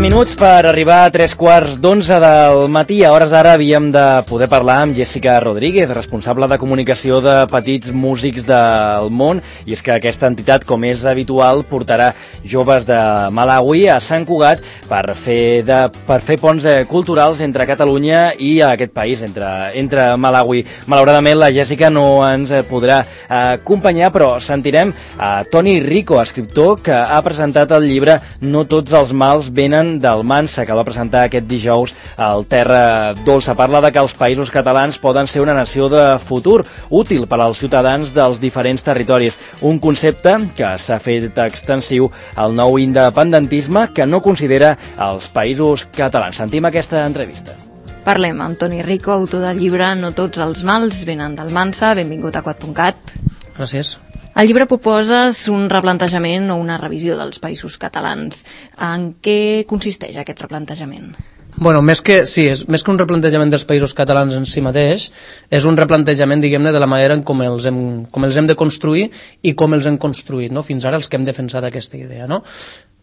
minuts per arribar a 3:15 del matí. A hores d'ara havíem de poder parlar amb Jessica Rodríguez, responsable de comunicació de Petits Músics del Món, i és que aquesta entitat, com és habitual, portarà joves de Malawi a Sant Cugat per fer ponts culturals entre Catalunya i aquest país, entre Malawi. Malauradament la Jessica no ens podrà acompanyar, però sentirem a Toni Rico, escriptor que ha presentat el llibre No tots els mals venen d'Almansa, que va presentar aquest dijous al Terra Dolça. Parla de que els països catalans poden ser una nació de futur, útil per als ciutadans dels diferents territoris. Un concepte que s'ha fet extensiu al nou independentisme que no considera els països catalans. Sentim aquesta entrevista. Parlem amb Toni Rico, autor del llibre No tots els mals venen d'Almansa. Benvingut a Quat.cat. Gràcies. Al llibre proposes un replantejament o una revisió dels països catalans. En què consisteix aquest replantejament? Bueno, més que un replantejament dels països catalans en si mateix, és un replantejament, diguem-ne, de la manera en com els hem de construir i com els hem construït, no? Fins ara els que hem defensat aquesta idea, no?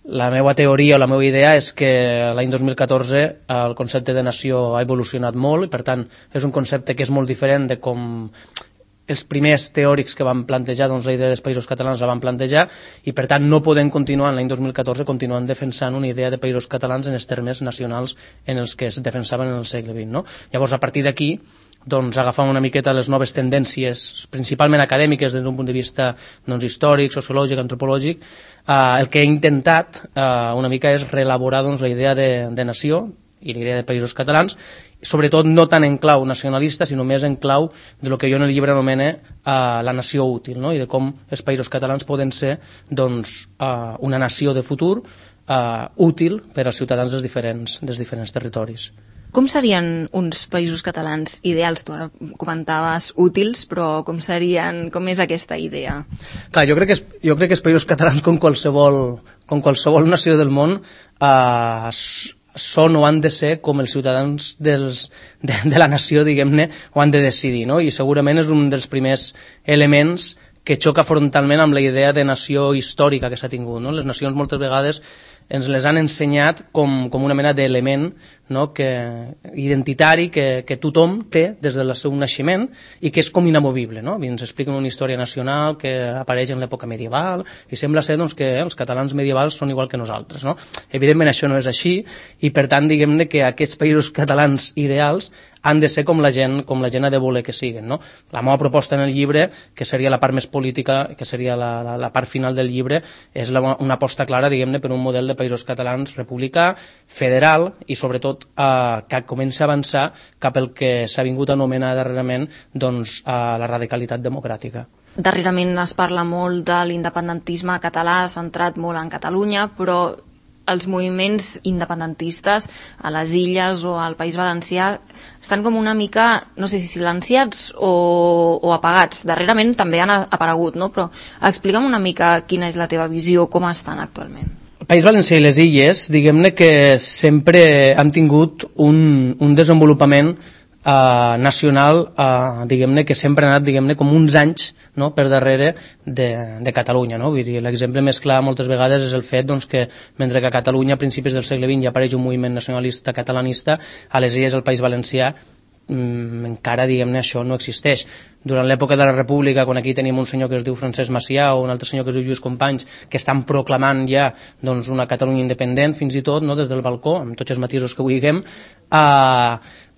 La meva teoria o la meva idea és que l'any 2014 el concepte de nació ha evolucionat molt i, per tant, és un concepte que és molt diferent de com els primers teòrics que van plantejar la idea dels països catalans la van plantejar, i per tant no podem continuar en l'any 2014 continuant defensant una idea de països catalans en els termes nacionals en els que es defensaven en el segle XX, no? Llavors, a partir d'aquí, agafant una miqueta les noves tendències, principalment acadèmiques des d'un punt de vista històric, sociològic, antropològic, el que he intentat una mica és reelaborar la idea de nació i la idea de països catalans, sobretot no tant en clau nacionalista, sinó més en clau de lo que jo en el llibre anomene la nació útil, no? I de com els països catalans poden ser una nació de futur útil per als ciutadans dels diferents territoris. Com serien uns països catalans ideals? Tu ara comentaves útils, però com és aquesta idea? Clar, jo crec que els països catalans, com qualsevol nació del món, són o han de ser com els ciutadans de la nació, diguem-ne, ho han de decidir, no? I segurament és un dels primers elements que xoca frontalment amb la idea de nació històrica que s'ha tingut, no? Les nacions moltes vegades ens les han ensenyat com una mena d'element, no? Identitari que tothom té des del seu naixement i que és com inamovible, no? Ens expliquen una història nacional que apareix en l'època medieval i sembla ser que els catalans medievals són igual que nosaltres, no? Evidentment això no és així, i per tant diguem-ne que aquests països catalans ideals han de ser com la gent ha de voler que siguin, no? La meva proposta en el llibre, que seria la part més política, que seria la part final del llibre, és una aposta clara, diguem-ne, per un model de països catalans republicà, federal i sobretot que comença a avançar cap al que s'ha vingut a anomenar darrerament la radicalitat democràtica. Darrerament es parla molt de l'independentisme català, centrat molt en Catalunya, però els moviments independentistes a les Illes o al País Valencià estan com una mica, no sé si silenciats o apagats. Darrerament també han aparegut, no? Però explica'm una mica quina és la teva visió, com estan actualment. El País Valencià i les Illes, diguem-ne que sempre han tingut un desenvolupament nacional, diguem-ne, que sempre ha anat, com uns anys, no?, per darrere de Catalunya, no? Vull dir, l'exemple més clar moltes vegades és el fet que mentre que a Catalunya a principis del segle XX ja apareix un moviment nacionalista catalanista, a les Illes, al País Valencià, encara, diguem-ne, això no existeix. Durant l'època de la República, quan aquí tenim un senyor que es diu Francesc Macià o un altre senyor que es diu Lluís Companys, que estan proclamant ja una Catalunya independent, fins i tot, no?, des del balcó, amb tots els matisos que vulguem,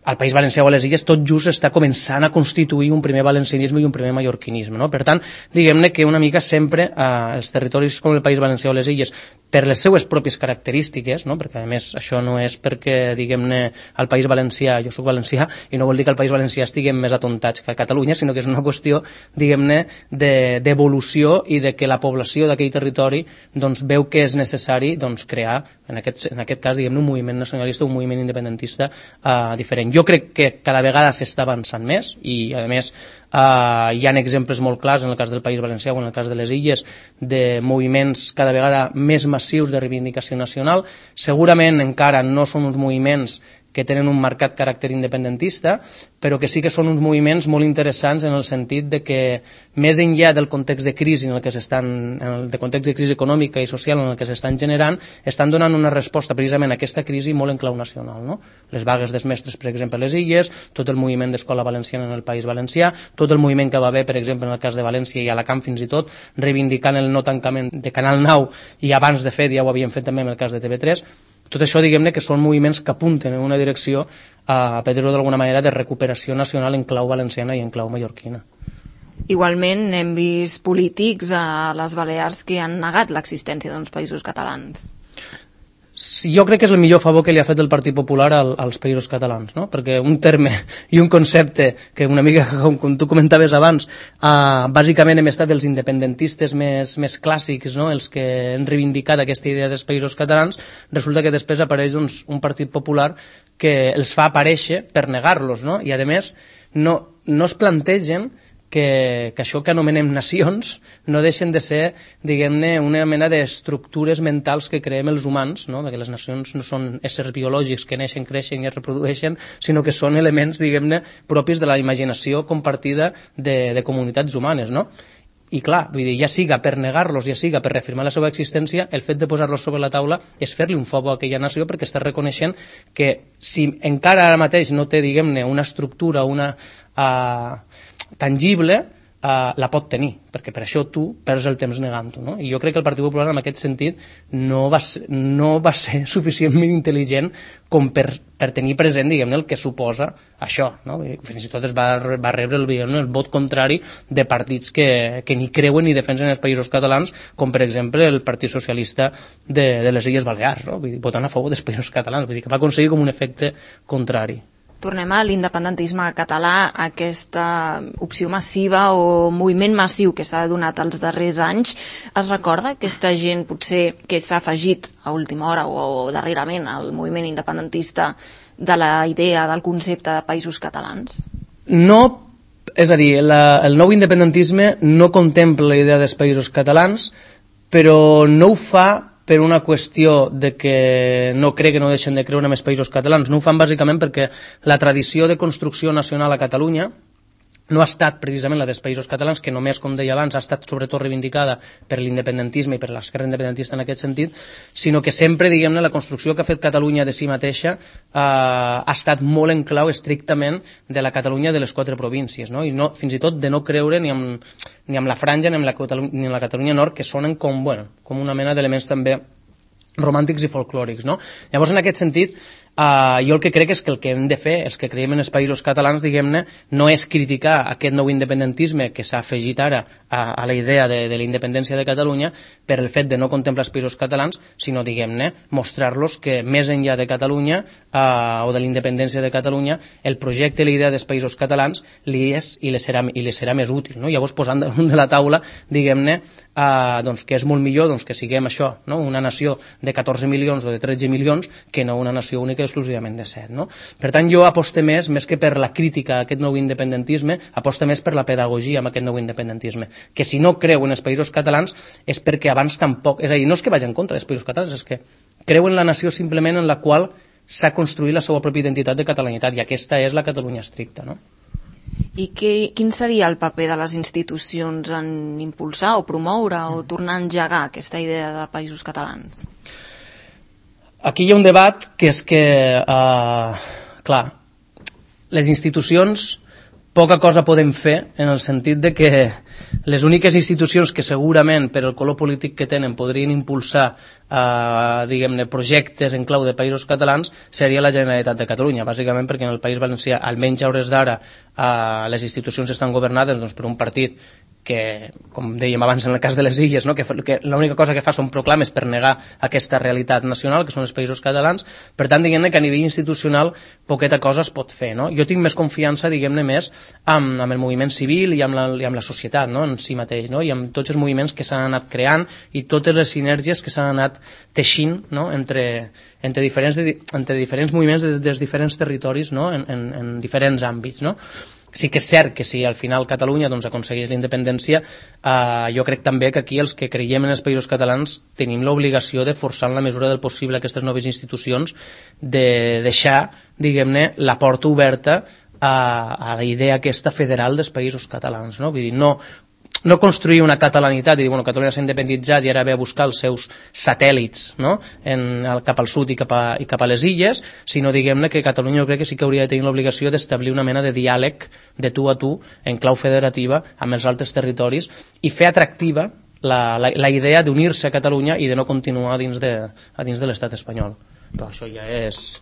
al País Valencià o a les Illes tot just està començant a constituir un primer valencianisme i un primer mallorquinisme, no? Per tant, diguem-ne que una mica sempre els territoris com el País Valencià o les Illes, per les seues pròpies característiques, no? Perquè a més això no és perquè, diguem-ne, al País Valencià, jo soc valencià, i no vol dir que al País Valencià estiguem més atontats que a Catalunya, sinó que és una qüestió, diguem-ne, d'evolució i de que la població d'aquell territori veu que és necessari crear, en aquest cas, diguem-ne, un moviment nacionalista, un moviment independentista diferent. Jo crec que cada vegada s'està avançant més i, a més, hi ha exemples molt clars en el cas del País Valencià o en el cas de les Illes de moviments cada vegada més massius de reivindicació nacional. Segurament encara no són uns moviments que tenen un marcat caràcter independentista, però que sí que són uns moviments molt interessants en el sentit de que més enllà del context de crisi en el que de context de crisi econòmica i social en el que s'estan generant, estan donant una resposta precisament a aquesta crisi molt en clau nacional, no? Les vagues dels mestres, per exemple, a les Illes, tot el moviment d'escola valenciana en el País Valencià, tot el moviment que va haver, per exemple, en el cas de València i Alacant fins i tot, reivindicant el no tancament de Canal 9 i abans, de fet, ja ho havien fet també en el cas de TV3. Tot això, diguem-ne, que són moviments que apunten en una direcció, per dir-ho d'alguna manera, de recuperació nacional en clau valenciana i en clau mallorquina. Igualment, hem vist polítics a les Balears que han negat l'existència d'uns països catalans. Jo crec que és el millor favor que li ha fet el Partit Popular als països catalans, no? Perquè un terme i un concepte que una mica, com tu comentaves abans, bàsicament hem estat els independentistes més clàssics, no? Els que han reivindicat aquesta idea dels països catalans, resulta que després apareix un Partit Popular que els fa aparèixer per negar-los, no? I a més no es plantegen que això que anomenem nacions no deixen de ser, diguem-ne, una mena d'estructures mentals que creem els humans, no? Perquè les nacions no són éssers biològics que neixen, creixen i es reprodueixen, sinó que són elements, diguem-ne, propis de la imaginació compartida de comunitats humanes, no? I clar, vull dir, ja siga per negar-los, ja siga per reafirmar la seva existència, el fet de posar-los sobre la taula és fer-li un favor a aquella nació perquè està reconeixent que si encara ara mateix no té, diguem-ne, una estructura, una tangible, la pot tenir, perquè per això tu perds el temps negant-ho, no? I jo crec que el Partit Popular en aquest sentit no va ser suficientment intel·ligent com per tenir present, diguem-ne, el que suposa això, no? Fins i tot es va rebre el vot contrari de partits que ni creuen ni defensen els països catalans, com per exemple el Partit Socialista de les Illes Balears, no? Vull dir, votant a favor dels països catalans, vull dir que va aconseguir com un efecte contrari. Tornem a l'independentisme català, aquesta opció massiva o moviment massiu que s'ha donat els darrers anys. Es recorda aquesta gent potser que s'ha afegit a última hora o darrerament al moviment independentista de la idea del concepte de països catalans? No, és a dir, el nou independentisme no contempla la idea dels països catalans, però no ho fa per una qüestió de que no crec que no deixen de creure en els països catalans. No ho fan bàsicament perquè la tradició de construcció nacional a Catalunya no ha estat precisament la dels països catalans, que només, com deia abans, ha estat sobretot reivindicada per l'independentisme i per l'esquerra independentista en aquest sentit, sinó que sempre, diguem-ne, la construcció que ha fet Catalunya de si mateixa ha estat molt en clau estrictament de la Catalunya de les 4 províncies, no? I no, fins i tot de no creure ni amb la Franja ni amb la Catalunya Nord, que sonen com una mena d'elements també romàntics i folclòrics, no? Llavors, en aquest sentit, jo el que crec és que el que hem de fer, els que creiem en els països catalans, diguem-ne, no és criticar aquest nou independentisme que s'ha afegit ara a la idea de la independència de Catalunya per el fet de no contemplar els països catalans, sinó, diguem-ne, mostrar-los que més enllà de Catalunya o de la independència de Catalunya, el projecte i la idea dels països catalans li és i li serà més útil, no? Llavors, posant damunt de la taula, diguem-ne, doncs, que és molt millor doncs, que siguem això, no? Una nació de 14 milions o de 13 milions que no una nació única exclusivament de 7, no? Per tant, jo aposto més que per la crítica a aquest nou independentisme, aposto més per la pedagogia amb aquest nou independentisme, que si no creu en els països catalans és perquè abans tampoc, és a dir, no és que vagi en contra dels països catalans, és que creu en la nació simplement en la qual s'ha construït la seva pròpia identitat de catalanitat, i aquesta és la Catalunya estricta, no? I quin seria el paper de les institucions en impulsar o promoure o tornar a engegar aquesta idea de països catalans? Aquí hi ha un debat que és que, clar, les institucions poca cosa podem fer en el sentit de que les úniques institucions que segurament per el color polític que tenen podrien impulsar diguem-ne projectes en clau de països catalans seria la Generalitat de Catalunya, bàsicament perquè en el País Valencià, almenys a hores d'ara, les institucions estan governades doncs, per un partit que, com dèiem abans en el cas de les Illes, no? que l'única cosa que fa són proclames per negar aquesta realitat nacional, que són els països catalans. Per tant, diguem-ne que a nivell institucional poqueta cosa es pot fer, no? Jo tinc més confiança, diguem-ne, més amb el moviment civil i amb la societat, no? En si mateix, no? I amb tots els moviments que s'han anat creant i totes les sinergies que s'han anat teixint, no? entre diferents moviments dels diferents territoris, no? en diferents àmbits, no? Sí que és cert que si al final Catalunya doncs, aconsegueix la independència, jo crec també que aquí els que creiem en els països catalans tenim l'obligació de forçar en la mesura del possible aquestes noves institucions de deixar diguem-ne, la porta oberta a la idea aquesta federal dels països catalans, no? Vull dir, no construir una catalanitat i dir, bueno, Catalunya s'ha independitzat i ara ve a buscar els seus satèl·lits, no? Cap al sud i cap a les illes, sinó, diguem-ne, que Catalunya jo crec que sí que hauria de tenir l'obligació d'establir una mena de diàleg de tu a tu en clau federativa amb els altres territoris i fer atractiva la idea d'unir-se a Catalunya i de no continuar dins de l'estat espanyol. Però això ja és...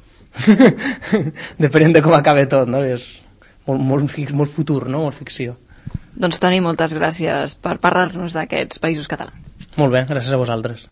depenent de com acabe tot, no? És molt futur, no? Molt ficció. Doncs Toni, moltes gràcies per parlar-nos d'aquests països catalans. Molt bé, gràcies a vosaltres.